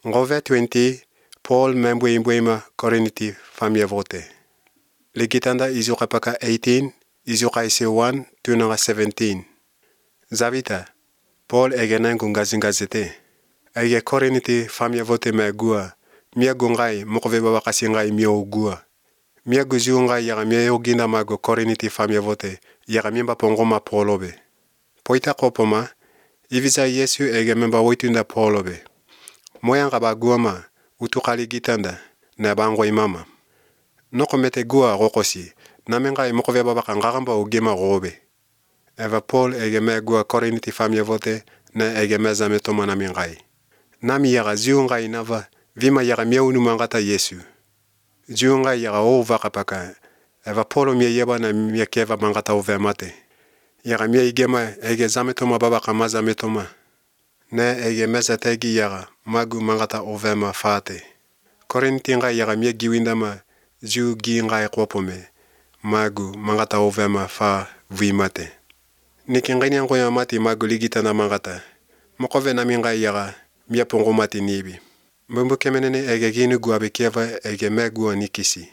Ngove 20, Paul membwe Koriniti famia vote. Legitanda izuka paka 18, izuka ise 1, tunanga 17. Zavita, Paul egena ngungazingazete. Ege Koriniti famia vote me gua. Mia gungai mokove baba kasingai mia ugua. Mia guziungai yaga mia yoginda mago Koriniti famia vote. Yaga mimba pongoma Paulobe. Poita kopoma, Iviza Yesu ege memba woitunda Paulobe. Moyanga ba guama, utukali gitanda, na bango imama. Noko mete gua rokosi, na menga mokove baba kangagamba ugema robe. Eva Paul ege me gua Koriniti famia vote, na ege meza metoma na mengai. Nami yaga ziungai nava, vima yaga mia unumangata Yesu. Ziungai yaga ovaka paka, eva Paulo mia yeba na mia keva mangata ovemate. Yaga mia igema ege zametoma baba kamaza metoma. Ne ege meza tegi yaga magu mangata ovema fate. Korinti ngai yaga mia giwindama ziu gi ngai kopome. Magu mangata ovema fa vimate. Niki ngani yango ya mati magu ligita na mangata. Mokove na mingai yaga mia pongo mati nibi. Mbumbu kemenene ege ginu guabe kieva ege megua nikisi.